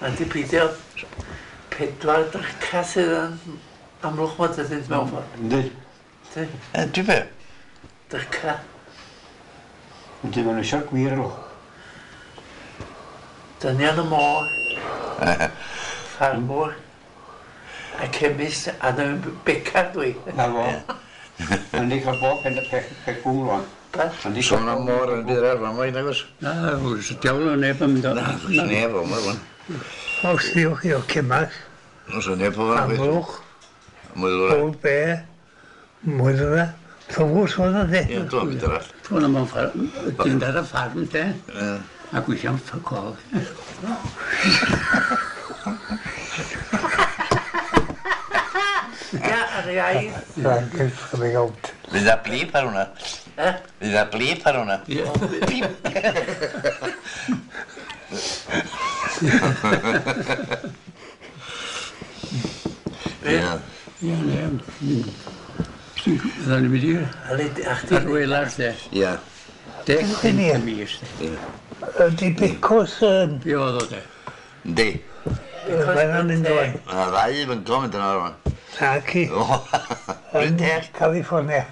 Mae'n di peidio 4 dryca sydd yn Amlwch mod ydynt mewn ffordd. Yndi. Yndi. Yndi be? Dryca. Yndi, maen nhw eisiau'r gwir nhw. Dynion y môr. Ffarmwr. A chemist a dyn becar dwi. Na fo. Ma'n di cael bob pen peth gwm rwan. Sôn am môr yn byd arall, mae'n nagos? Na, oes, diawl o neb yn mynd o. Na, oes neb o, mae'n Os diwch chi o Cymach. Oes neb o fan. Amlwch. Mwydwra. Old Bear. Mwydwra. Llwgws oedd o de. Ie, dwi'n mynd arall. Dwi'n am dyn ar y ffarm de. A gweithio'n ffycol. Ia, ar ei air. Blankets coming out. Fydd a blip ar hwnna. Eh? Fydd a blip ar hwnna. Ie. Blip! Ie. Ie, ne. Fydda ni'n mynd i'r Ar welar de. Ie. 15 y mis. Ydy Becos yn... Be oedd o de? Yndi. Mae'n mynd o'n. Mae ddau yn mynd yna rwan. Naci. Bryn Teg. California.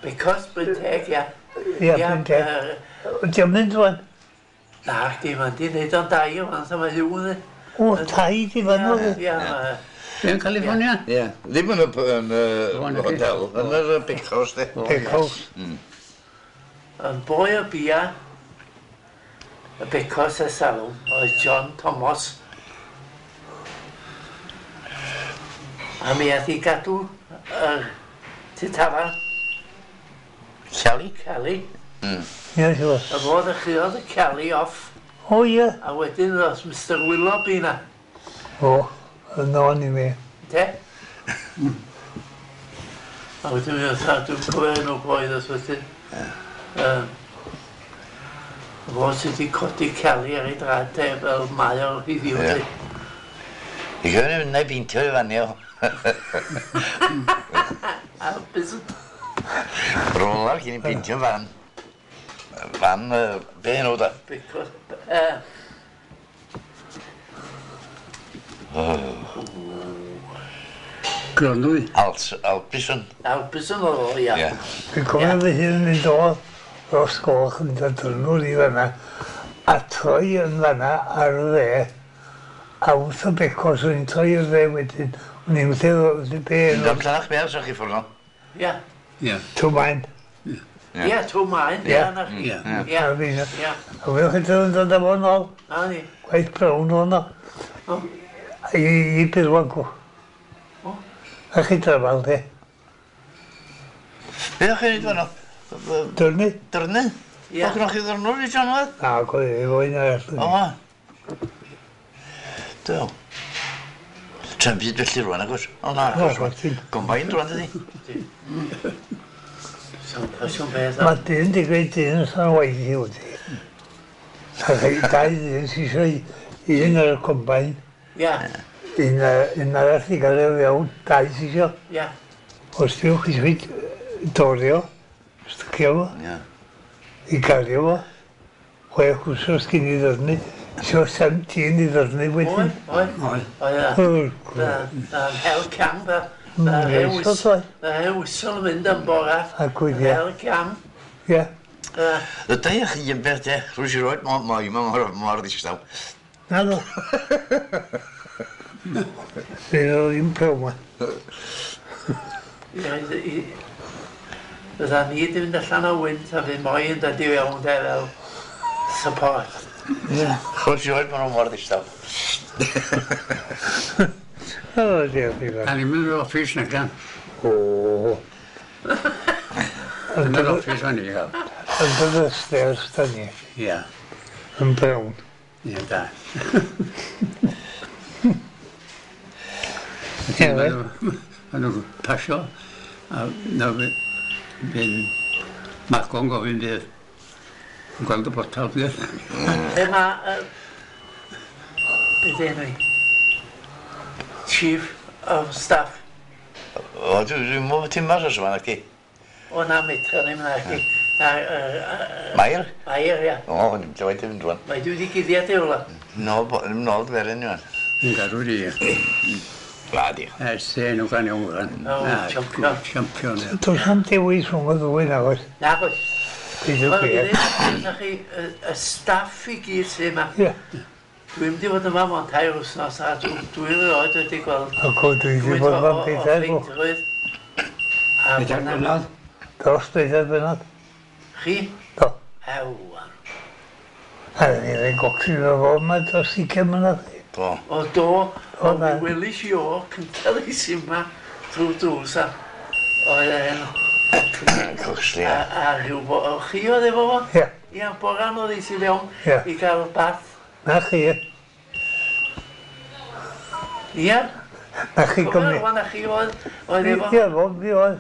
Becos Bryn Teg, ia. Ia, Bryn Teg. Ydy o'n mynd rwan? Na, di, mae'n di wneud o'n dau o'n so mae hiw yn. O, tai di fan nhw. Ia, Be yn California? Ie. Ddim yn y hotel, yn yr Becos, de. Becos. Yn boi o bia, y Becos e salw, oedd John Thomas. A mi ath i gadw yr tŷ tafarn. Cali? Cali. Ie, siŵr. A fo ddechreuodd y Cali off. O, ie. A wedyn ddoth Mr Willoughby na. O, yn o'n i mi. Te? A wedyn mi oedd, dwi'n cofio enw boi ddoth wedyn. Fo sydd wedi codi Cali ar ei draed te fel mae o heddiw. Ie. I gyfer yn ei beintio i fan o. A bys... Rolar cyn i beintio fan. Fan, be enw da? Becos... Gronwy. Albison. Albison oedd o, ia. Dwi'n cofio fy hun yn mynd o Ros Goch yn dod drwnwr i fanna a troi yn fanna ar y dde a wrth y Becos o'n i'n troi i'r dde wedyn o'n i'n wrth be Yn dod llanach be ar chi ffwrdd o? Ia. Ia. Twmaen. Ia, Twmaen. Ia. Ia. Ia. Ia. A wylch chi dod yn dod am o'n ôl. Na ni. Gwaith brown o'n o. I Birwan gwch. A chi drafal, de. Be o'ch chi'n neud fan o? Dyrnu. Dyrnu? Ia. O'ch chi'n ddyrnwr i John Wedd? Na, gwedd, efo un arall. O, ma. Do. Tra'n byd felly rwan, agos. O, na, agos. Gombain rwan, dydi? Mae dyn di gweud dyn sy'n waith i wedi. Dau dyn sy'n eisiau un ar y combain. Ia. Un arall i gael ei fewn, dau sy'n eisiau. Ia. Os diwch chi eisiau dorio, stycio fo. Ia. I gario fo. 6 wsos cyn i ddyrnu. Isio 17 i ddyrnu wedyn. Oe, oe. Oe, Na'n hel cam, Na'n hel wysol yn mynd am bora. A gwyd, ia. Hel cam. Ia. Ydy chi yn beth, e? Rwy'n siŵr oed, mae mor ddistaw. Na ddo. Fydd o ddim prawn ma. Fydda ni wedi mynd allan o wynt a fydd moi yn dod i fewn de fel support. Ie. Rwy'n siŵr oed, maen nhw mor ddistaw. O, diolch i fawr. A ni'n mynd i'r office na gan. O. Yn yr office o'n i gael. Under the stairs, da ni. Ia. Yn brown. Ia, da. Ie, Maen nhw'n pasio, a na fy'n Maco'n gofyn fydd. Yn gweld y botal fydd. Lle mae... Beth enw i? Chief of Staff. O, dwi'n mwyn ti'n mas os yma, nacdi? O, na, metra ddim na, chdi. Na, Mair? Mair, ia. O, dim dweud dim dwan. Mae dwi wedi guddiad i rwla. Nôl, nôl dferyn yw. Yn gadw di. La, di. Ers enw gan iawn gan. O, champion. Champion, ie. Does am dewis rhwng y ddwy nag oes. Na, oes. Peidiwch Wel, chi. gyda chi y staff i gyd sydd yma. Ie. Dwi'n mynd i fod yma mewn 3 wythnos a dwi erioed wedi gweld Ac o dwi wedi bod yma'n pedair o. ffeindrwydd. A Pedair bod 'na- blynedd. Dros pedair blynedd. Chi? Do. Ew. A ni wedi gocsi fo fo yma dros 20 mlynedd. Do. O do, O, o na. mi welis i o cyntaf i sy'n yma drwy drws a oedd e'n Coxley, a, ia. a rhyw bo, o chi oedd efo fo? Ie. Ia, boran oedd i sy'n fewn Ie. i gael bath. Na chi. Ia, Na chi cofio gymryd. rwan a chi oedd oedd efo? Ie, fo fi oedd.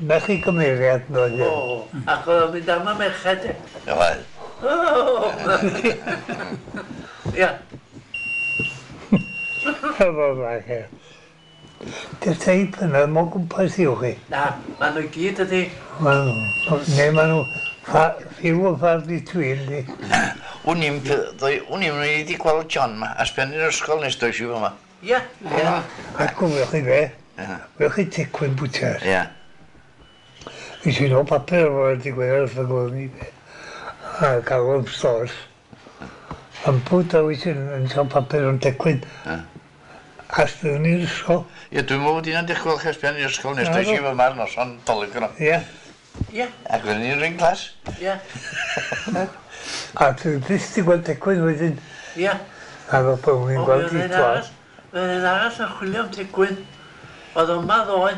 Na chi gymeriad no ie. O, ac oedd o'n mynd am y merched e. Oedd. O! Ia, Efo fach e. Dy'r teip yna, mo gwmpas i'w chi. na, ma' nhw i gyd ydi. Ma' nhw, neu ma' nhw few and far between di. Wn i'm, wn i'm wedi gweld John ma, a sben i'r ysgol nes does i fo ma. Ia, ia. A gwylwch chi be, Ie. wylwch chi Tecwyn Bwters. Ie. Nes i nôl papur o'r digwydd wrth y gweld ni be. A gael o'n stores. Yn bwyd a wyt yn cael papur o'n Tecwyn. Ie. A sbyddwn ni'r ysgol. Ie, dwi'n meddwl bod hynna'n dechrau gweld sben i'r ysgol nes Na, does i do. fo ma'r noson dolyg yno. Ie. Ia, Ac wedyn ni'n ring class. ia, A dwi byth di gweld Tecwyn wedyn. ia. A fel bod ni'n O, gweld mi i oedd un dwan. arall, mi oedd un arall yn chwilio am Tecwyn. Oedd yma ddoe.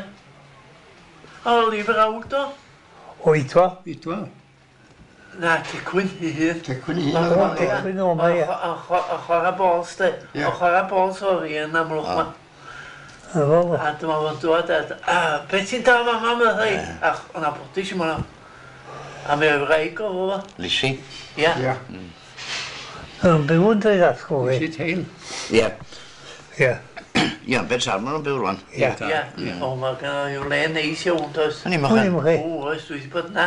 O, lyfr awd o. Oedfa. Idwa. Na, Tecwyn i hun. Tecwyn i O, hun. O, Tecwyn o 'ma, ie. O chwarae bols, de. Ie. O chwarae bols o'r un amlwch ma. Efo fo. A dyma fo'n dod a... A, be ti'n dal ma, mam, oedd hi? A o'na bwdis i mwna. A mi oedd wraig o fo. Lisi. Ia. Ie. Yn byw yn dweud atgo fi. Si teil. Ie. Ie. Ie, Ben Sarn maen nhw'n byw rwan. Ie. Ia. O, mae gen i le neis iawn, does. O'n i'n O'n i'm mychan. chi. O, oes, dwi wedi bod na.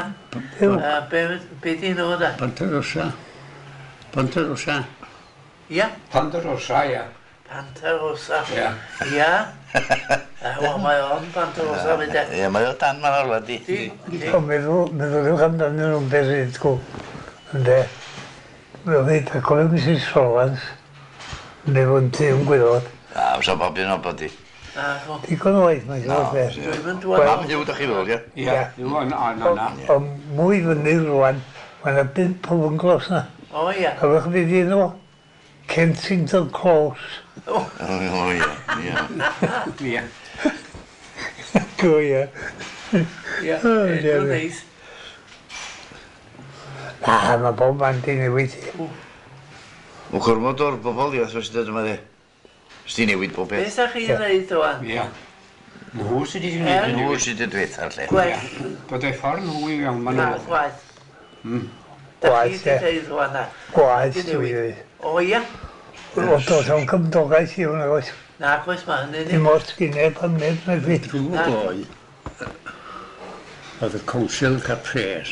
Yw. A be di nhw, da? Ponterosa. Ponterosa. Ia. Ponderosa, ie. Pantarosa. Ie. Ia. Wel, mae o'n Pantarosa fyd e. Ie, mae o dan ma'n orla di. Di, di. O, meddwl, meddyliwch amdanyn nhw'n beth sy'n dgw. Ynde. Meddwl, a cofio Mrs Solans. Neu fo'n tŷ yn gwylod. A, fysa bob un o bod di. Na, go. Digon o waith mae'n Na, siŵr beth. Dwi'n mynd dwan. Mam Huw, da chi feddwl, ie? Ie. Yw, na, na, na. O mwy fyny rwan, mae yna 5 o fynglos na. O, ia. A fych fydd i nhw? Kensington Close. O, O, ie, ie. Ie. Go, ie. ia. O, Edrych dear. neis. Na, mae bob man di newid. Mae'n gormod o'r bobl i wrth dod yma, di. Sdi newid bob Be peth. sa chi'n neud rwan? Ie. Nhw sydd wedi Ie. gwneud y Nhw newid. sydd wedi dweud ar lle. Gwaith. Bod ei ffordd nhw i fewn, maen Na, nhw. gwaith. Da chi Gwaith, wedi ie. deud rwan na. Gwaith, Di dwi newid. dweud. O, ia. O, dos o'n cymdogaeth i hwnna, oes. Na, gwaith, mae hynny'n Dim ots gyn neb am neb na fi. Drwy gloi. Oedd y council cael pres.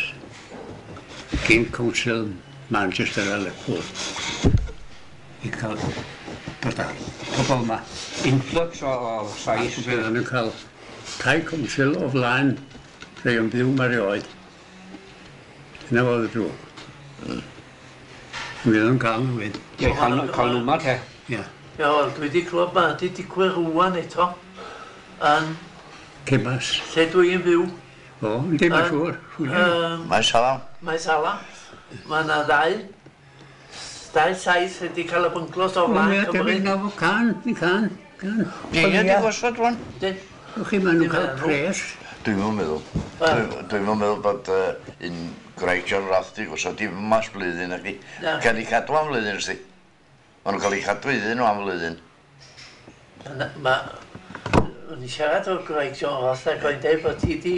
Cyn council Manchester a Liverpool. I cael dod ar pobl yma. Influx o sais. Fydden nhw'n cael tai council o flaen rhai o'n byw ma erioed. Dyna fodd y drwg. Mi oedden nhw'n cael nhw fyd. Ie, cael nhw ma te. Ie. Ie, wel, dwi wedi clywed ma wedi digwydd rwan eto. Yn Cebas. lle dwi'n byw. O, yndi, mae'n siŵr. Mae salam. Mae Sala. Mae yna ddau sais wedi cael y bynglos o flaen Ie, Cymru. debyg na fo can, ni can, can. Ie, Ie. di gosod rwan. Dyn. Wch chi, maen nhw'n cael Dim yn pres. Dwi'n yn meddwl. Dwi'n yn meddwl bod un Graig John Roth di gosod i mas blwyddyn ac i. Na. Cael ei cadw am flwyddyn, ysdi. Maen nhw'n cael ei cadw iddyn nhw am flwyddyn. Ma, o'n i siarad o'r Graig John Ross ac o'n dweud bod ti di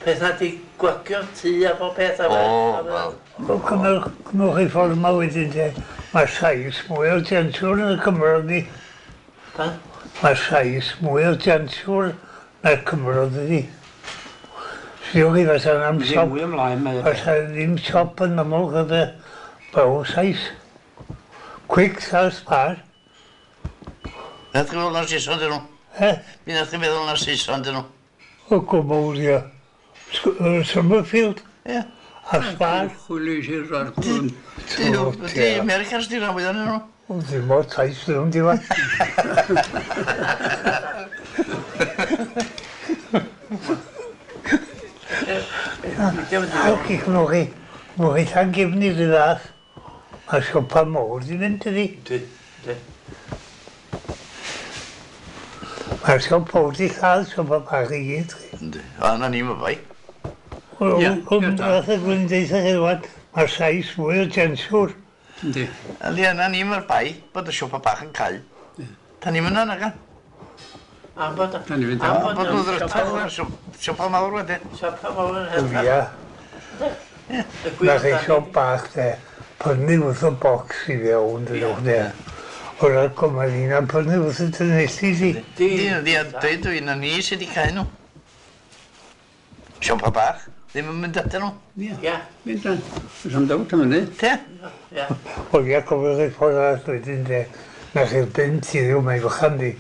peth na di gwagio tŷ a bob peth a O, fe- wel. O, cymrwch chi ffordd yma wedyn te. Mae sais mwy o gensiwr yn y Cymro ni. Pa? Mae sais mwy o gensiwr na'r Cymro dydi. Sbiwch chi fysa am Ddim siop. mwy ymlaen, mae. Fysa ddim siop yn Amlwch oedd baw sais. Quick South Spar. Nath chi feddwl na'r Saeson dyn nhw? Eh? Mi nath chi feddwl na'r Saeson dyn nhw? O gwmwl, ia. Summerfield Ie. a Spar. Chwilio i'r arglwyn. Di Americans di rhan fwyaf nhw. O, ddim o'r tais ddim di fa. Awch i chnwch chi. Mwch chi tan gefni rhy ddath. Mae siopa mowr di mynd ydi. Dwi, dwi. Mae'r siop mowr di lladd siopa bach i gyd. chi. Yndi. O, na ni ma bai. Wel, Ie, wel, ie, da. Fath y gwyn deitha chi rwan, mae'r sais mwy o jensiwr. Yndi. Yndi, na ni ma'r bai, bod y siopa bach yn cau. Ta ni'n mynd yna, Am bod... Da ni'n mynd am am. bod Bod nhw'n siopa ddrytach mawr- na siopa mawr wedyn. Siopa mawr yn O helpa. ia, Y gwir na chi amdani. siop bach de. Prynu wrth y bocs i fewn, dydwch de. O'r arco mae'r un am prynu wrth y dynelli di. Di, Yndi, yndi, a dweud dwi, na ni sydd wedi cau nhw. Siopa bach, ddim yn mynd atyn nhw. Ie. Ia, Mynd dan. Oes am dawt am hynny. Te? ia. O ia, cofiwch chi ffordd arall wedyn de. Na chi'r bunt i ddiw, mae'n fychan di.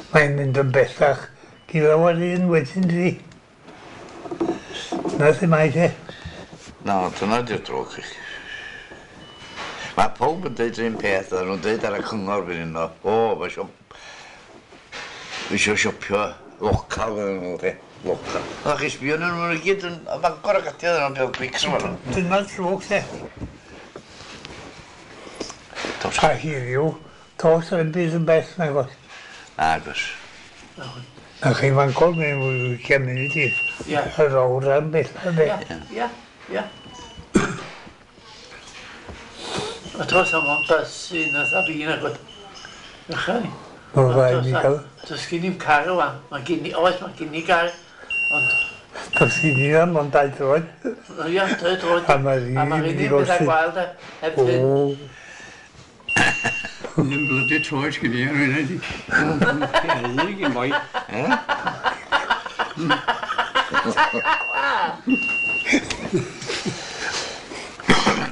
Mae'n mynd yn bellach. Gilaw ar un wedyn di. Na ddim ai de. Na, dyna di'r drwg i chi. Mae pawb yn deud yr un peth, a nhw'n deud ar y cyngor fan hyn o, o, mae siop... Mae isio siopio local fan nhw, te. Local. A chi sbio nhw, nhw'n i gyd yn y Bangor ac ati, nhw'n peth Quicks yma nhw. Dyna'r drwg de. Dos. A heddiw, dos yn byd yn bell nag oes. Agos. Na chi Fangor mewn 20 munud i. Ia. Yr awr am bell de. Ia, ia, ia. A dros am ond bus un oedd a fi nag oedd. Ychan ni. Mae'n rhaid i gael. Does gen i'm car rwan. Mae gen i, oes, mae gen i gar. Ond, Does i ni am ond dau droed. o ia, doi droed. A mae'r un A mae'r mynd i un pethau golchi. gwael de. Heb O, hyn. Ddim blydi troed sgyn i ar hynny di. Ie, gyn boi.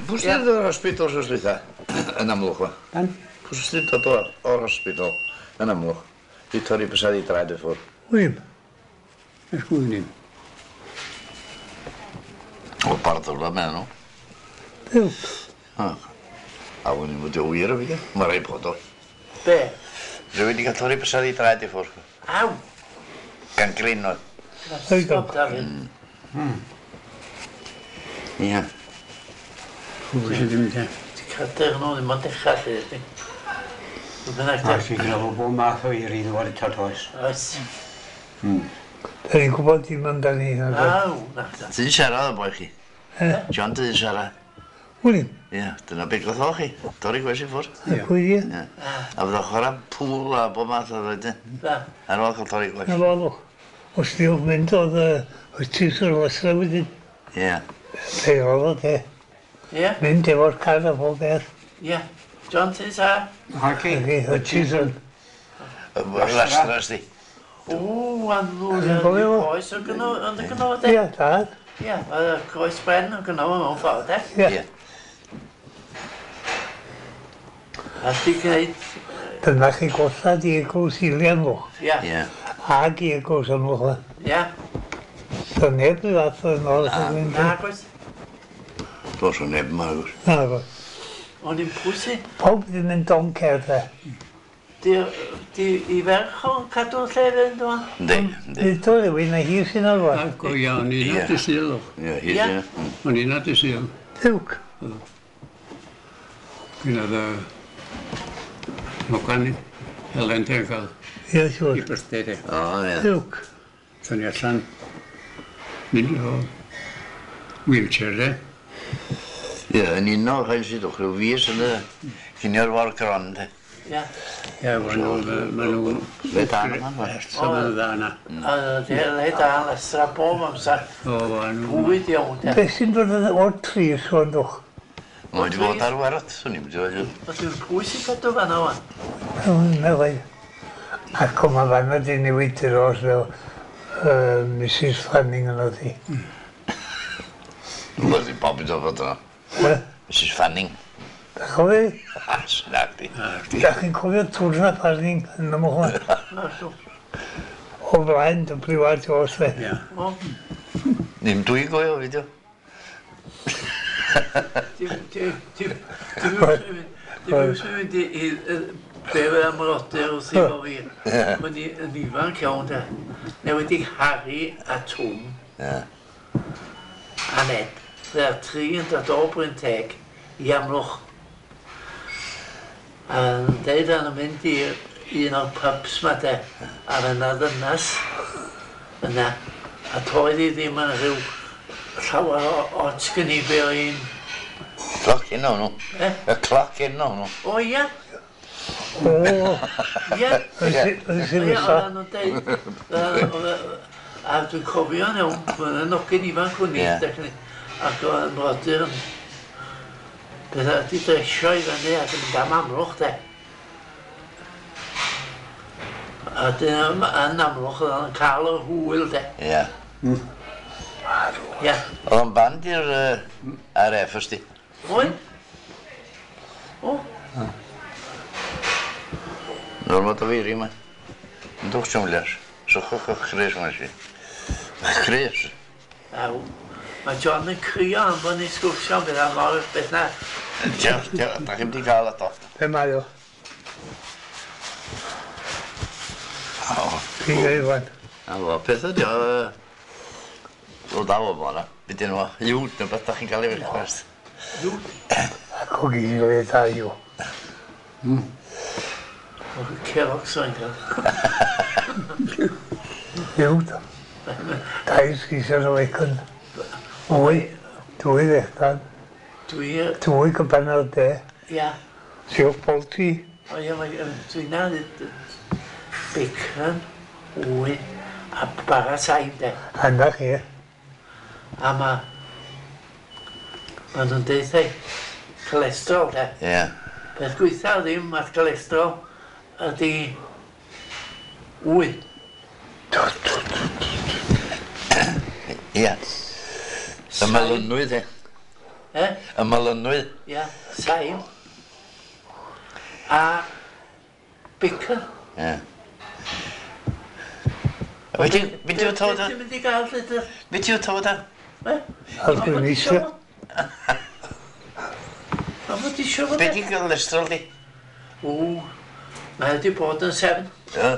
Pwy sydd o'r hospital sy'n dwytha? Yn Amlwch, wa. Dan? Pwy sydd dod o'r hospital yn Amlwch? I torri bysedd i draed i ffwrdd. wym. Ys gwyn i'n. O, barddwla mewn nhw. Byw. A wwn i'n fod o wir o fi, Mae rhaid bod o. Be? Rwy'n wedi cael torri bysedd i draed i ffwrdd. Aw! Gan grin oedd. Stop, Dafydd. Ie. Pwy sydd ddim te. Ti'n cader nhw ddim ond dechrau lle, ydy. Dwi'n bynnag A de. ti'n gyda fo bob math o iri ddod eto toes. Oes. Da ni'n gwybod dim amdani. nag oes? Aw, na. Ti'n siarad o boi chi? John dyn siarad. Wym. Ie, dyna beth gath o chi. Torri gwes i ffwrdd. A pwy di? Ie. A fydda chwarae pŵl a bob math o wedyn. Da. Ar ôl cael torri gwes. Na fo. Os diwch mynd oedd y tîs o'r lasra wedyn. Ie. Pe oedd o de. Ie, Mynd efo'r car a pob beth. ie. John, ti'n sa? Ac i, Y tîs o'r... Lastras di. O, anw, Dwi'n cofio fo. Coes o gynno, ond y gynno fo, de. Ie, dad. Ie, oedd y coes bren o gynno fo mewn ffordd, de. Ie. Ie. A ti gwneud, Dyna chi gollad i eglwys Ilian fo. ie, Ie. Ag i eglwys Amlwch. ie. Doedd neb i fath o'n ôl. Na, gwaith. Dos o neb yma, agos. Na, go. O'n i'n pwysi. Pawb ddim yn doncer de. Di, di i ferch o'n cadw'r lle fynd o'n? Yndi, yndi. Nid o rhywun na hi sy'n arwain. A go iawn, o'n i'n Ie. at y sil. Ie, hi Ie. sy'n. O'n i'n at y sil. Diwc. Gwyn oedd y Mogan Helen te yn cael Ie, i siŵr. birthday de. O, ie. Diwc. So ni allan mynd o wheelchair de. Ie, yn uno, rhaid sydd o'ch rhyw fus yn y cinio'r war gron, de. Ie. Ie, maen nhw... Maen nhw... Le da yma, ma. So maen nhw dda yna. A di le da, lesra bob amser. O, maen nhw... Bwyd iawn, de. Beth sy'n dod o'r tri sôn dwch? Mae wedi bod ar werth, swn i'n mynd i O, dwi'n pwy sy'n cadw fan'na wan? Na fe. Ac o mae fanna di newid i'r os fel Mrs Fanning yn oedd hi. Wel, di bob yn dod yna. Mrs Fanning. Da cofio? Snag di. Da chi'n cofio Twrna Fanning yn ymwch? O flaen W.R. Jones fe. Ie. Ddim dwi'n gofio fideo. Dim mynd i be am rodyr wrth i fo fi. Mae'n yn ifanc iawn de. Newid i Harry a Twm. A Ned. Dda'r tri yn dod o Bryn Teg i Amlwch. A yn deud yn mynd i un o'r pubs ma de. A yna ddynas yna. A toedd i ddim yn rhyw llawer o ots gen i be o un. Cloc un o'n nhw. Y cloc un o'n nhw. O ia. O. Ia. Yn sy'n Oedden nhw'n deud. A dwi'n cofio iawn, mae'n yn ogyn ifanc hwn i. Ac oedd yn brodyr yn beth wedi dresio i fyny ac yn mynd am Amlwch de. A dyn yn Amlwch oedd yn cael yr hwyl de. Ie. Ie. Oedd o'n band i'r RF ysdi. Oedd? O. Normal o fi yma. Yn dwch siwmlias. Sychwch o'ch chres yma si. Chres. Aw. Mae John yn crio am bod ni'n sgwrsio am beth mor beth na. Diolch, diolch. Da chi'n di gael ato. Be mae o? O. Pigo i fan. A fo, peth ydi o... O da o fo na. Be dyn nhw? Iwd neu beth da chi'n cael ei request. Iwd? A cogi o e da yw. O, Cerox o'n cael. Iwd. Dau sgisio o bacon. Wy, dwy ddechan. Dwi... Dwy gyban o'r de. Ia. Siwr polti. O ia, dwi'n na bacon, wy, a bara saim de. A na chi. A ma... Ma nhw'n deud ei, cholesterol de. Ie. Peth gweitha ddim at cholesterol ydi wy. Ie. Y melynwydd, e. E? Y melynwydd. Ia, saim. A bacon. Ie. Be ti'n tywed o? Ti'n mynd i gael llythyr? Be ti'n tywed o? E? Ar dwi'n eisiau. A ma ti isio fo Be di cholesterol di? O, mae wedi bod yn 7. Ie.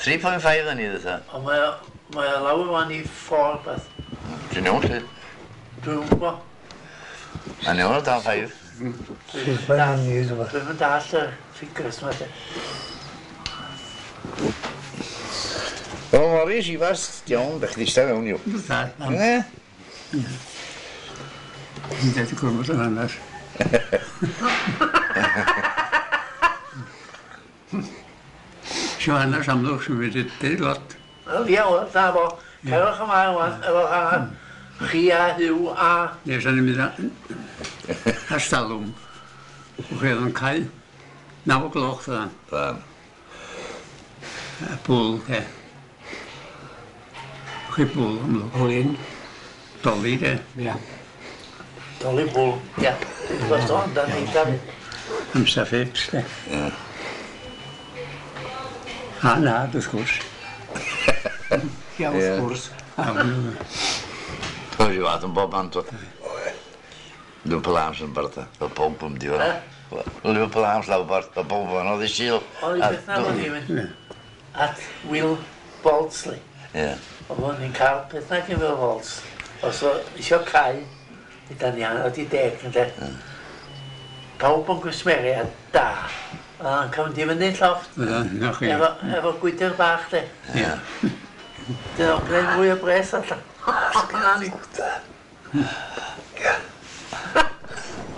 3.5 yn i ddweud. Ond mae o lawr wan i 4 beth. Dwi'n iawn, lle? Dwi'n gwybod. Mae'n iawn o dan 5. Dwi'n mynd all y figures ma de. O, Morris, i fas, iawn, bych chi eistedd mewn i'w. Da. Ie. Dwi'n dweud y gwrmod yn hanes. Sio hanes Amlwch sy'n wedi deud lot. Wel, ia, wel, da fo. Cerwch ymlaen wan, efo chi a Huw a... Nes o'n i'n mynd a stalwm. Wch chi oedd yn cael 9 gloch fyddan. Fyddan. A bwl, de. Wch chi bwl, Amlwch. Bwl un. Doli, de. Ia. Doli bwl, ia. Dwi'n gwybod o'n dan ni, Dafydd. Amser fix, de. Ie. A na, wrth gwrs. Ia, wrth gwrs. Dwi'n rhyw fath yn bob man, dwi. Liverpool Arms yn barda. O pob yn di fan. Liverpool Arms lawr barda. O pob yn oedd i sil. Oedd i beth na fo'n i mynd. At Will Baldsley. Ie. Oedd ni'n cael beth na gen Will Baldsley. Os o isio cael, da ni anodd i 10, ynde. Pawb yn gwsmeriad da. Yn cael mynd i fyny llofft. Na chi. Efo gwydr bach, de. Ie. Dyna o'n gwneud mwy o bres allan. Na ni.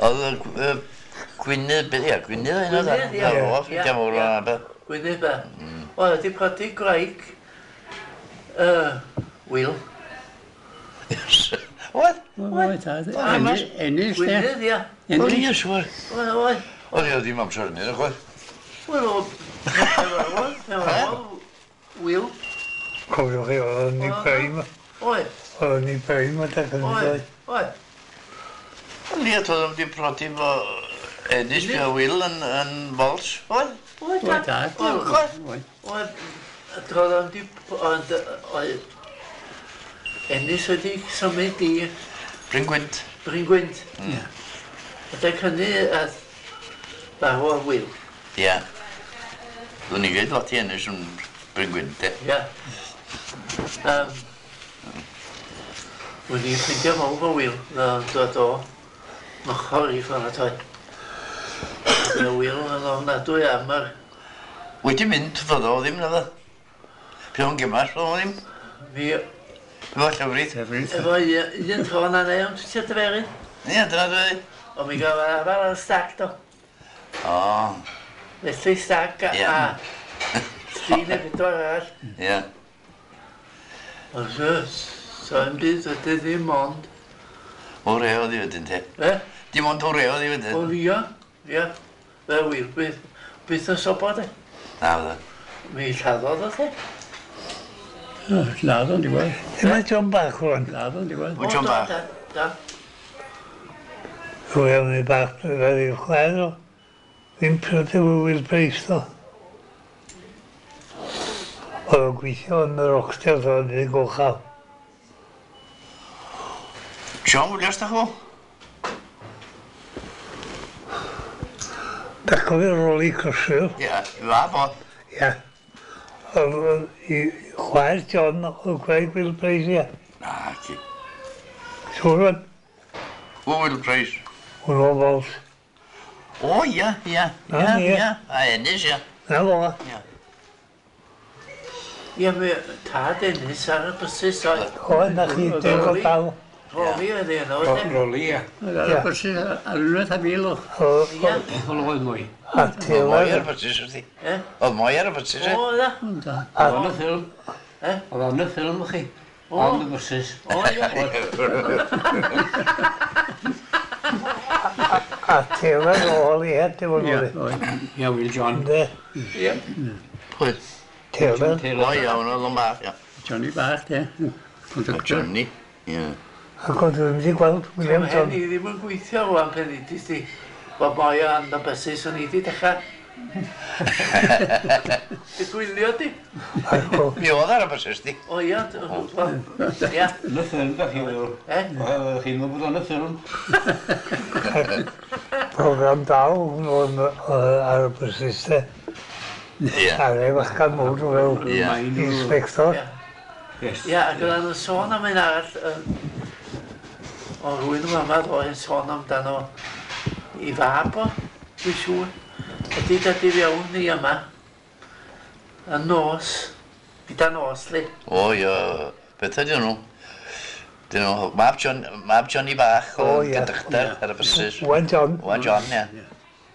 Oedd y Gwynedd, ia, Gwynedd yna da. Gwynedd, ia. O, ffrindiau mawr o'na beth. Gwynedd be. Oedd wedi prodi gwraig Will. Oedd? Oedd, oedd. Ennill, de. Gwynedd, ia. Oedd, ia, siŵr. Oedd, oedd. Oedd, ia, ddim amser yn un, oedd. Wel, oedd, Will. Cofiwch chi, oedd yn ei prime. Oedd. Oedd yn ei prime adeg hynny. Oedd, oedd. Ie, toedd o'n wedi prodi fo Ennis, fi o Will yn Walsh. Oedd? Oedd, dad. Oedd, oedd. Toedd o'n di... Oedd... Ennis wedi symud i... Bryn Gwynt. Bryn Gwynt. Ie. Adeg hynny, farw o'r Will. Ie. Dwi'n i gweud lot i Ennis yn Bryn Gwynt, e. Ie. Wedi ffeindio mawr o Will, dod o ochr i ffordd toi. Y Will yn ofnadwy am yr... Wedi mynd, fyddo o ddim, naddo. Pe o'n gymas, fyddo o ddim. Mi... Efo llefrith. Efo un tro na neu, ond ti'n dyferu? Ie, dyna dwi. O, mi gael arfer ar y stag, do. O. Felly stag a... 3 neu 4 arall. Ie. Ond so yn byd ydy ddim ond... O reo di wedyn te. E? Dim ond o reo di wedyn. O ia, ia. Fe wir, byth yn sobor de. Na fydda. Mi lladdodd o te. Laddo'n diwedd. Dyma John Bach rwan. Laddo'n diwedd. O John Bach. Da. Rwy am ei bach, fel i'w chwaer o. Ddim pryd efo Will Price do. Oedd o'n gweithio yn yr Oxters o'n ei gochal. John Williams, da chwo? Da cofio Rolly Crosville. Ie, fab o. Ie. Oedd i chwaer John oedd gwaith Will Price, ie. Na, ti. Siŵr o'n? O, Will Price. Hwn o Walsh. O, ie, ie. Ie, ie. A Ennis, ie. Na fo. Ie. Ie, mi tad Ennis ar y bysus oedd. O, na chi, dwi'n gweld dal. Roli oedd ei yno, oedd e? Roli, ie. Ar y bysus, ar unwaith a mil o. Ie. Oedd mwy. A Taylor. Mwy ar y bysus, wrthi. Oedd mwy ar y bysus, e? O, da. Oedd o'n y ffilm. Oedd o'n y ffilm, chi. On the buses. O, ie. A Taylor ôl i het, dim ond oedd. Ie, Will John. Ie. Pwy? Taylor. O, ie, hwnnw oedd o'n bach, ie. Johnny bach, ie. Johnny, ie. Ac oedd ddim wedi gweld William John. Ni ddim yn gweithio rwan pen i ti. Wel, boi o'n y bysus o'n i wedi dechrau. Dy gwylio di? Mi oedd ar y bysus di. O ia, ia. Yn y ffilm, da chi'n meddwl. E? Chi'n meddwl bod o'n y ffilm. Program dal o'n ar y bysus de. Ie. Ar ei fachgan mawr fel inspector. Ie, ac oedd o'n sôn am un arall. O rwy'n yma ddoe yn sôn amdano i fab o, dwi'n siŵr. Ydy dod i fewn i yma, y nos, gyda nos, li. O, ie, beth ydyn nhw? Dyn nhw, mab Johnny Bach o conductor ar y bysus. Wan John. Wan John, ie.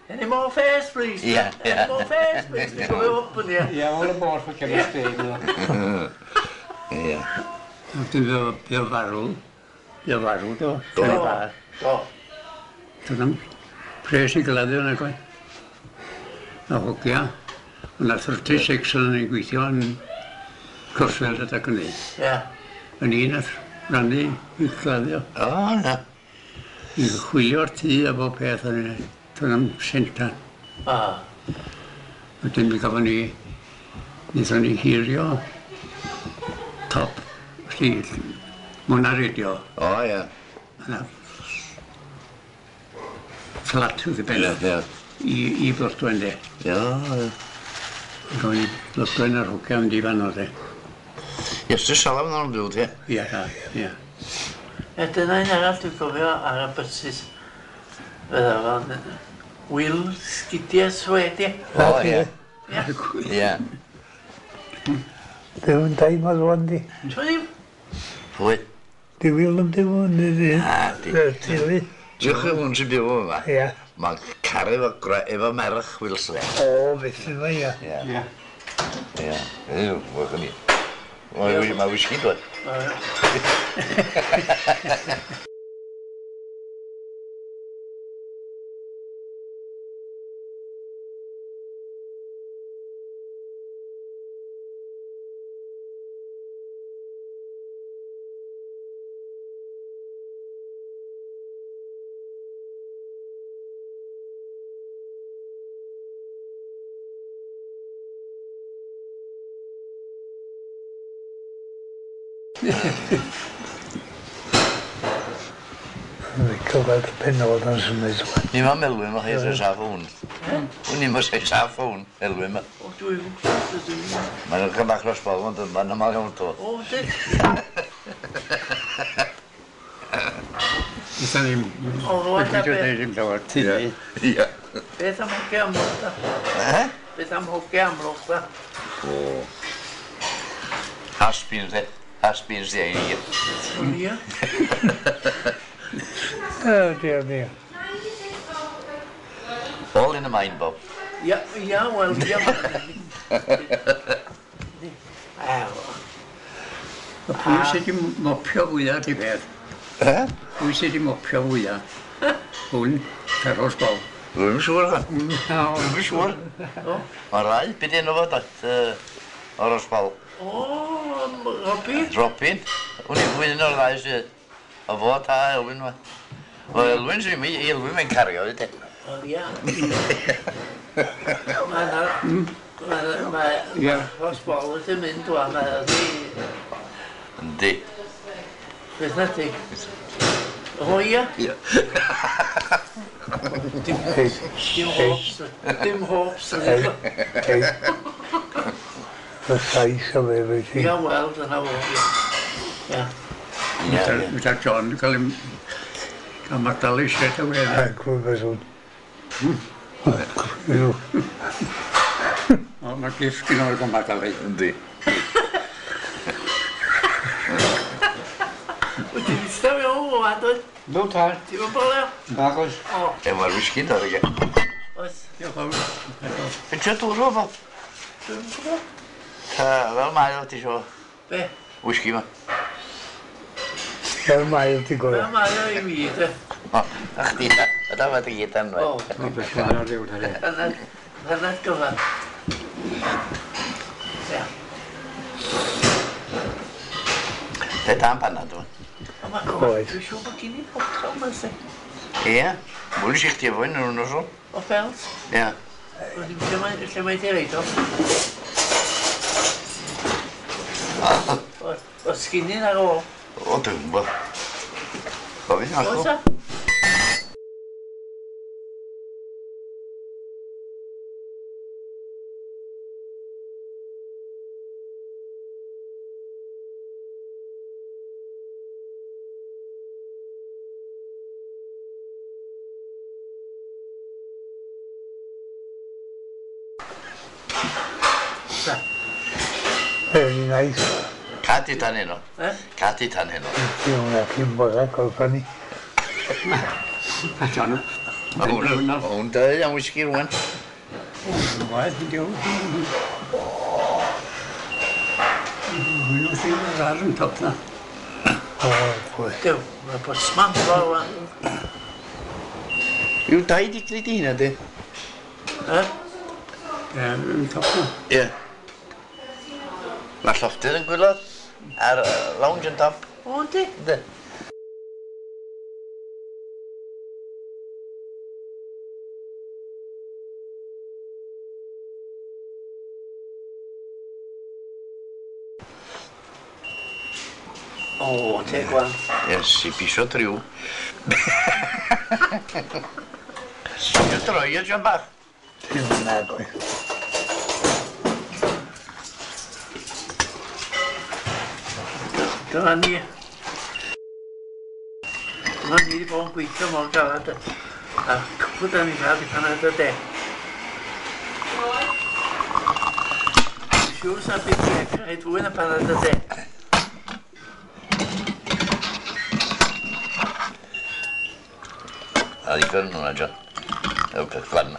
Any more fares, please? Ie, ie. Any more fares, please? Dwi'n cofio up yn ie. Ie, o'r bor ffwc yn ystod. Ie. Dwi'n byw farw. Ie, farw, do. Do. Do. Doedd am pres i gladdio yn agoi. A hogia. O'na 36 o'n i'n gweithio yn Crossfield adag hynny. Ie. Yn un nath rannu i gladdio. O, na. I chwilio'r tŷ a bob peth o'n i'n. Doedd am sentan. A. Wedyn mi gafon ni, wnaethon ni hirio top, felly, mwyn ar radio. O, ie. Yna fflat wrth y ben. Ie, I, i Blodwen, de. Ie, ie. Gafon ni Blodwen ar hogia mynd i fan o, de. Iestyn Salam yn byw, ti? Ie, ie. E, dyna un arall dwi'n cofio ar y bysus. Fydda fo'n Will Sgidiau Swed, ie. O, ie. Ie. Ie. Ddim yn daim ar rwan di. Ti'n ddim? Pwy? Di Will yn dim yn i Na, di. Teulu. Diolch i hwn sy'n byw yma. Ie. Mae'n caru efo merch Will Sled. O, beth yma, ie. Ie. Ie. Ie, wach ni. Mae whisky dod. Licio gweld y penod yn symud. Ni ma Melwyn ma chi sy'n saff hwn. Wn i'n sy'n saff hwn, Elwyn ma. O, dwi'n gwybod, dwi'n gwybod. Mae'n ychydig bach dros bol, ond mae'n aml iawn to. O, di. Ydyn ni'n... O, rwan ta Dwi'n beth. dweud ddim llawer tynnu. Ie. Beth am hoge amlwch da? Eh? Beth am hoge amlwch da? O. Has-beens, de. Has-beens, de, i. O, ie. O, dear me. All in the mind, Bob. Ia, ia, wel, ia. Ew. Pwy sydd wedi mopio fwyaf di beth? Eh? Pwy sydd wedi mopio fwyaf? Hwn, Ferros Bob. Dwi'n siŵr, chan. Dwi'n siŵr. O. Mae rai, beth enw fo, dat, o'r ysbol. O, Robin. Robin. Wn i'n fwy un o'r ddau sydd. O fo ta Elwyn ma. O Elwyn sy'n mi, Elwyn mae'n cario, ydy. O, ia. Mae na... Mae... Ie. Os bol wedi mynd wan, mae ydi... Yndi. Beth na ti? O, ia. Ie. Dim hopes. Dim hopes. Ei, ei. Y sais o fe, fe ti. Ia, wel, dyna fo, ia. Ia. Ie, ie. Gyda John yn cael ei cael madalu straight away. A gwybod hwn. O, mae gift gyda nhw'n cael madalu. Yndi. Wyt ti'n eistedd mewn o wan, dwyt? No tad. Ti'n mynd bolio? Nagos. O, E, mae'r whisky dod i oes. Diolch yn fawr. Yn trio dŵr o fo? Dwi'n gwybod. Ta, fel mae o, ti isio Be? whisky ma. Fel mae o ti'n Fel gwybod. mae o i mi, de. O, a chdi, a da fe dy gyd am O, O, beth mae'n ar ryw, da. Hanner gyfan. Ia. Te dan panad o. O, mae Oes. Dwi'n siŵr bod gen i botel yma, si. Ie. Mwyn i chdi efo un yn nosol. O ffelt. Ie. Dwi'n lle mae lle mae di reid o. O, sginin ar ôl. O, dwi'n gwybod. Gofyn Oes acw. a? Very nice. Cadi tan heno. Eh? Cadi tan heno. Ti hwnna cyn bora, gorffan ni. A John, Ma' hwn ma' hwn dau am whisky rwan. Waeth, diolch. Hwnnw sy'n rar yn top na. O, pwy. Dew, mae bosman fo rwan. Yw dau di gwneud i hynna, di? Eh? Ie, yn top na. Ie. Mae'r llofftydd yn gwylod a'r lounge yn top. O, yndi? Yndi. O, te gwan. Yes, i pisio triw. Isio droi o, John bach. Ti hwnna, goi. Dyna ni. Dyna ni wedi bod yn gweithio mor galad. A cwpl da ni'n cael di panad o de. Dwi'n siŵr sa'n byd i rhaid fwy na panad o de. A ddigon hwnna, John. Ew, peth glan.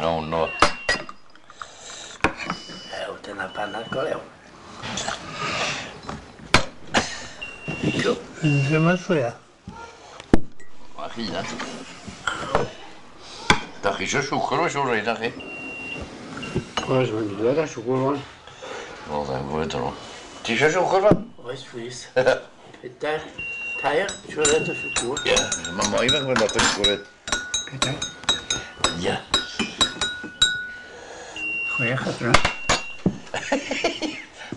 No, no. Ew, dyna panad go lew. Ddim yn llwya. Mae chi na. Da chi eisiau siwgr, mae'n siŵr rhaid na chi. Oes, mae'n dod â siwgr o'n. O, dda'n gwybod nhw. Ti eisiau siwgr fa? Oes, plîs. Pedair, tair, siwred o siwgr. Ie. Mae moi fe'n gwybod lot o siwgr. Pedair, Ie. 6 adra.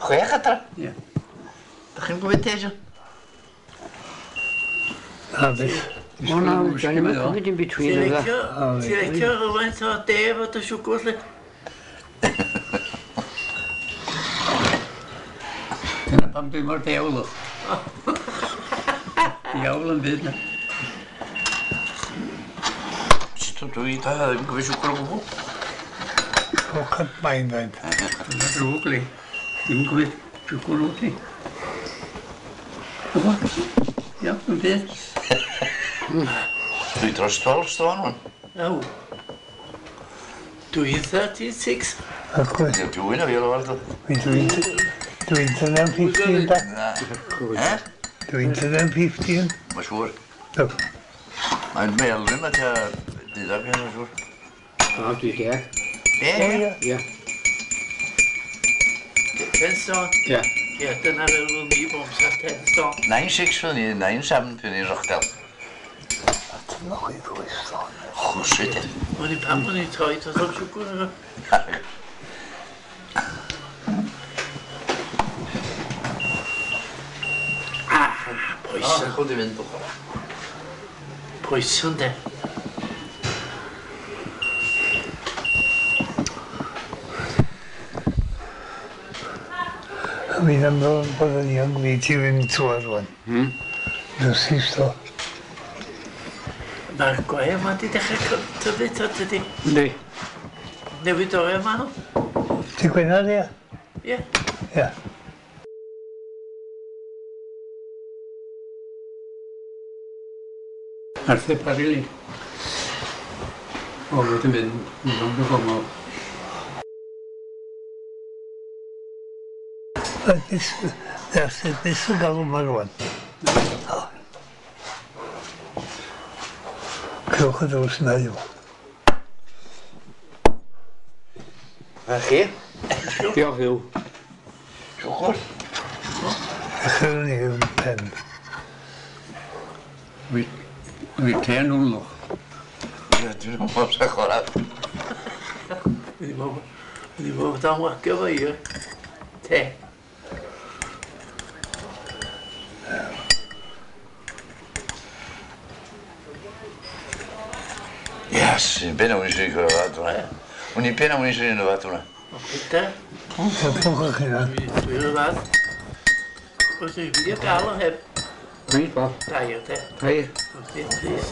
6 adra? Ie. Da chi'n gwybod te, John? Na, beth. O na, dan ni'n cymryd in between Ti'n yna. licio, ti'n licio rhywfaint o de efo dy siwgr, lle? Dyna pam dwi mor dewl o. Diawl yn byd na. Sut dwi da ddim yn gwybod siwgr o gwbl? Look at mine then. Dyna drwg li. Ddim yn gwybod siwgr o ti. Ia, yn byd. Dwi dros 12 stone wan. Aw. Dwi'n 36. Wrth gwrs, Dwi'n o fi o'r wald. dwi'n 15 da. Na. Eh? Dwi'n 15. Mae'n siŵr. No. Mae'n melyn ma tua deuddeg, mae'n siŵr. O, dwi deg. Be? O ie. Ie. 10 stone. Ie. Ie, dyna fel o'n i bob amser 10 stone. 9-6 fydd ni, 9-7 fydd ni'n Rochdale. Dyna chi ddwy stone. Chwsyd e. O'n i pam o'n i'n troi dros o'r siwgr yna. Ah, poison. Chwyd i fynd. Poison de. Fi'n ymddol bod yn young fi ti fynd trwy'r rwan. Dwsi sto. Mae'r gwae yma di dechrau tyfu ta tydi. Yndi. Newid oriau yma nhw. Ti Gwener ie? Ie. Ie. Arthur Parry. O, wedi mynd yn rownd o gongol. Beth sy'n galw yma rwan? Clywch y drws na yw. A chi? Diolch Huw. Siwgr? Echrwn ni yn pen. Wy te nhw'n lwch. Ie, dwi'n meddwl sy'n chwarae. Wedi bod dan wagio fo i. Te. Yes, un ben o'n eisiau gwrdd hwnna. O'n i'n ben o'n eisiau gwrdd hwnna. O, Peter, Ffwch chi na. dwi'n y fath. Os dwi'n mynd i gael o heb Reit, Bob. dair te. Tair. Os ti'n plîs.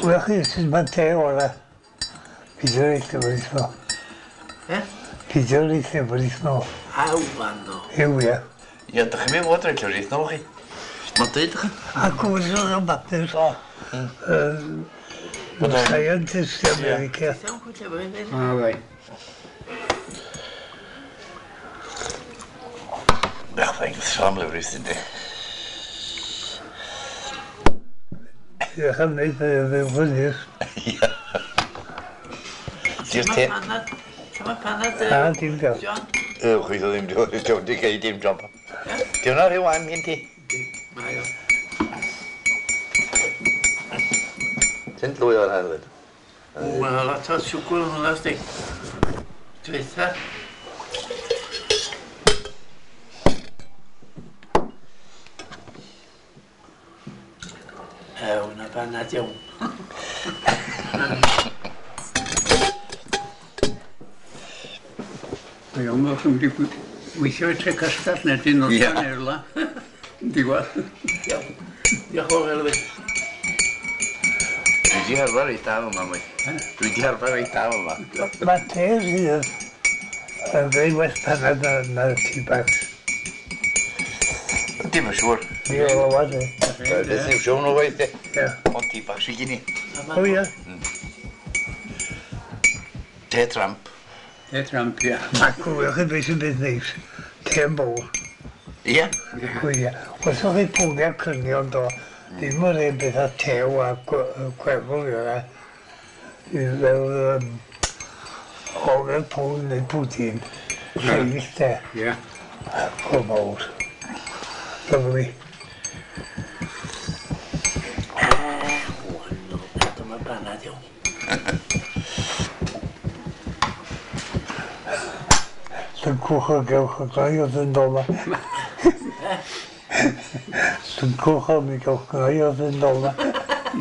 Wel chi sy'n ma'n te ora. Pidio reit llyfr no. Eh? Pidio reit llyfr no. Aw, fan no. Yw ie. Ie, dych chi'n mynd fod rhaid llyfr no chi. Mae'n dweud chi. A gwrs o'r bapur. Scientist America. Iawn, cwyd llyfr i fynd. O, rai. Ach, fe'n gwthio am lyfr yndi. Diolch am wneud fe fyny. Ie. Di'r te... Lle mae panad? Na, dim gael. John? Yy, chwith o ddim, diolch di gei dim job. Di hwnna rhyw wan gen ti? Mae o. Ti'n llwy o'r hefyd. Wel, lot o siwgr yn hwnna, sdi. Dwytha. Ew, na banad iawn. Mae o'n meddwl wedi weithio i tre castell neu dyn o'r Ie. erla. Diwedd. Iawn. Diolch yn fawr, Elwyn. Dwi di arfer reit da yma, mwy. Dwi di arfer reit da yma. Mae te rhydd yn fwy well panad na tea bags. Dim yn siŵr. Di o lawad e. Beth yw siŵr nhw waith e. Ie. Ond ti bach sy'n gini. O ie. Te tramp. Te tramp, ia. A gwylwch chi beth sy'n beth neis. Te yn bowl. Ie. Gwylio. Os o'ch chi pwniau crynion do, ddim yr un beth a tew a gwefl i yna. Fel o'r pwn neu pwdin. Lleill te. Ie. O mawr. Lovely. Wan, no, dyma banad iawn. Llwncwch o gewch o gnau oedd yn dola. Llwncwch o mi gewch gnau oedd yn dola.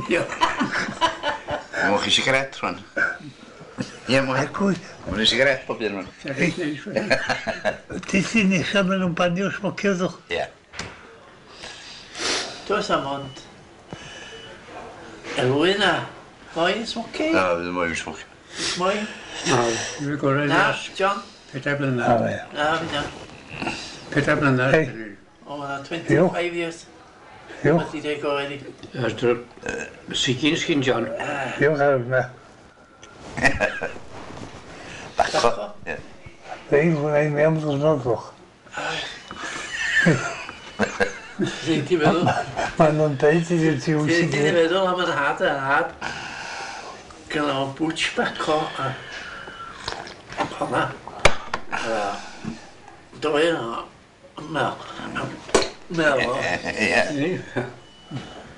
Ie. Mwch chi sigaret rwan. Ie, mwch. Mwch chi sigaret bob un rwan. Ti sy'n nesa maen nhw'n banio smocio ddwch. Ie. Does am ond Elwyn a moyn smocio? Na, fydd moyn smocio. Moyn? Na, dwi'n gorau. Na, John? 4 blynedd. Na, fi na. 4 blynedd. O, na, 25 years. Diolch. Wedi dweud gorau ni. Sigyn sgyn John. Diolch ar yna. Baco. Ie. Dei, hwnna i mewn ddwrnod ddwch. Ti'n ti meddwl? Maen nhw'n deud i ti wyth i Ti'n ti meddwl am yr had a'r had. Gyda o bwtch baco a honna. Doi yna. Mel. Mel o. Ie.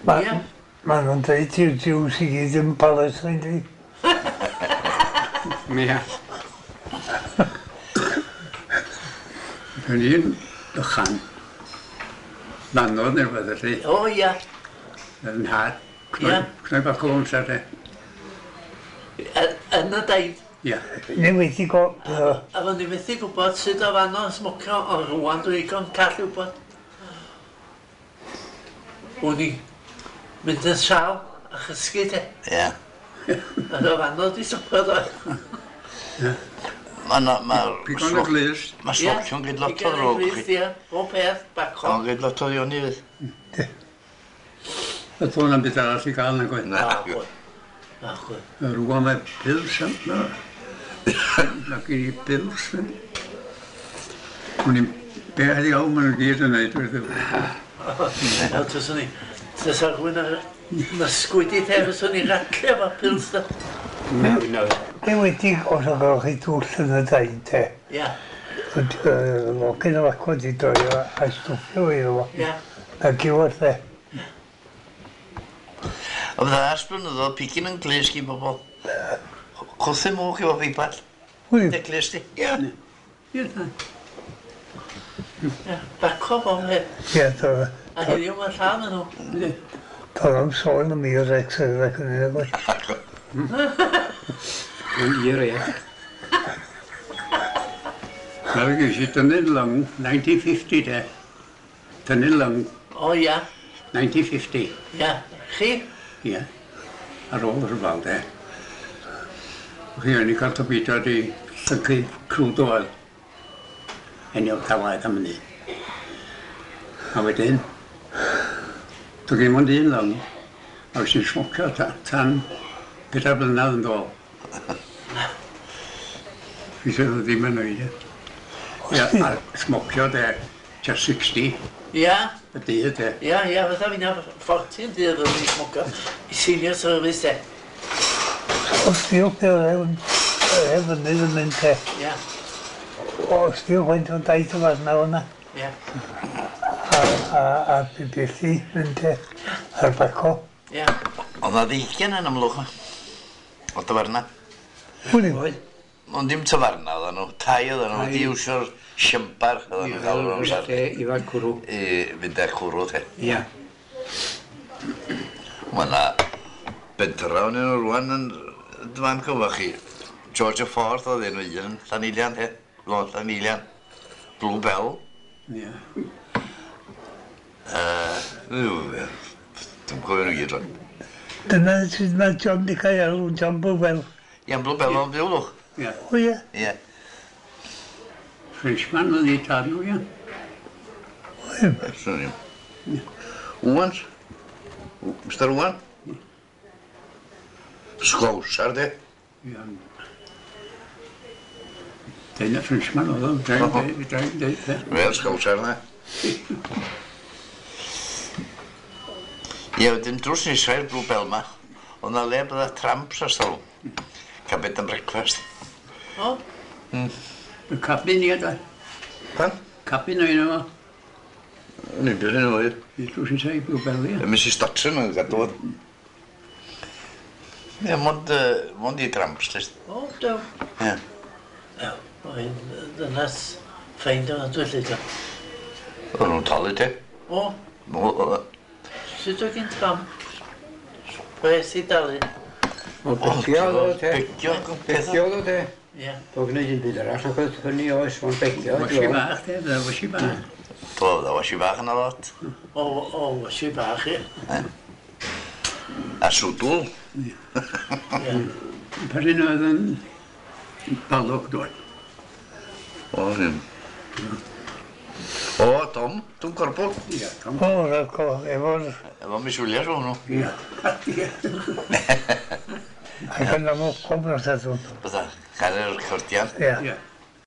Maen nhw'n deud i'r Jews i gyd yn Palestine, di. Ie. Dwi'n un bychan. Manodd neu rhywbeth felly. O, ia. Yn nhad. Ie. Cnoi bach o amser, de. Yn y daid. Ie. Ni wedi go... A fy ni methu gwybod sut o fanno smocio, ond rwan dwi'n digon call i wybod. O'n i mynd yn sal a chysgu te. Ie. A o fanno di smocio do. Mae... Pigon y glust. Mae smocio'n gyd lot o ddrwg. Pigon y glust, ie. O peth, baco. Mae'n gyd lot o ddioni fydd. Y tôn am beth arall i gael na gwaith. Na. Na, gwaith. Rwan mae pils am... Mae gen i pils. O'n i'n beth iawn maen nhw gyd yn neud. O, tyswn i. Tysa rhywun ar ysgwyd i te, fyswn i'n radlu efo pils da. Na. Be wedi os o gael chi dwll yn y dain te? Ie. Locyn o acwa di doio a stwffio iddo fo. Ie. Na giwad te. O fydda ers blynyddoedd, pigyn yn glust gyn bobl. Cwthu mwch efo feiball. Wyf. Dy glust di. Ie. Ie. Ie. Baco fo, he. Ie, do. A heddiw mae llawn yn nhw. Doedd am sôn am Irex ac yn un o'r. Yn ie. Nawr ges i dynnu'n lung, 1950 de. Dynnu'n lung. O ia. 1950. Ia. Chi? Ie. Ar ôl y rhyfel de. Chi o'n i cael torpedo di llyncu crude oil. Enio'r cawaid am hynny. A wedyn, doedd gen i mond un lung, a wnes i'n smocio tan 4 blynedd yn dôl. Fi sydd ddim yn oed. Ie, a smocio de, tua 60. Ia. Y dydd de. Ia, ia, fatha fi'n 14 dydd oedd i'n smocio. I senior service de. Os diolch beth oedd fynydd yn mynd te. Ia. Os diolch faint o'n daith o farna o'na. Ia. A bibelli mynd te. A'r baco. Ia. Oedd na ddeigian yn amlwch. O tafarna. Hwn i fod. Ond dim tafarna oedden nhw, tai oedden nhw, wedi iwsio'r siambar oedden nhw'n gael o'r amser. I fad cwrw. I fynd â cwrw te. Ia. Mae yna bentra o'n nhw rwan yn dyma'n cyfo chi. George y Ffordd oedd enw un, Llanilian te. Lôn Llanilian. Blue Bell. Ia. Dwi'n cofio nhw gyd rwan. Dyna sut mae John di cael alw, John Blue Bell. Ia'n Blue Bell o'n byw lwch. Ie. O ie. Ie. Frenchman oedd ei tad nhw, ie. Swn i'm. Wan. Mr Wan. Sglawsar de. Ie. Dyna Frenchman oedd o. Wel, sglawsar na. Ie, wedyn drws nesa i'r Blue Bell ma, oedd na le bydda tramps ar stalwm. Cael bed and breakfast. O? Y cabin ie, da. Pan? Cabin o'n yma. O'n i'n byr yn oed. I drws nesa i Blue Bell, ie. Mrs Dodson yn gadw fod. Ie, mond i tramps, list. O, dew. Ie. Dew. Oedd ddynas ffeind o'n adwy lle. O'n nhw'n talu te. O, O, sut oedd gen Tom? Pres i dalu. O, begio oedd o te. Begio, Begio oedd o te. Ie. Doedd gwneud dim byd arall, ac oedd hynny oes o'n begio. Washi bach, te, fydda washi bach. Do, dda wasi bach yna lot. O, washi bach, ie. A swdl. Ie. Per un oedd yn balwg dod. O, hyn. O, Tom, dwi'n gorbol. Ie, Tom. O, raco, efo'r... Efo Miss Williams o'n nhw. Ie. Ie. Ac yn amlwg nos adwn. Bydda, cael yr recordian. Ie. Ie.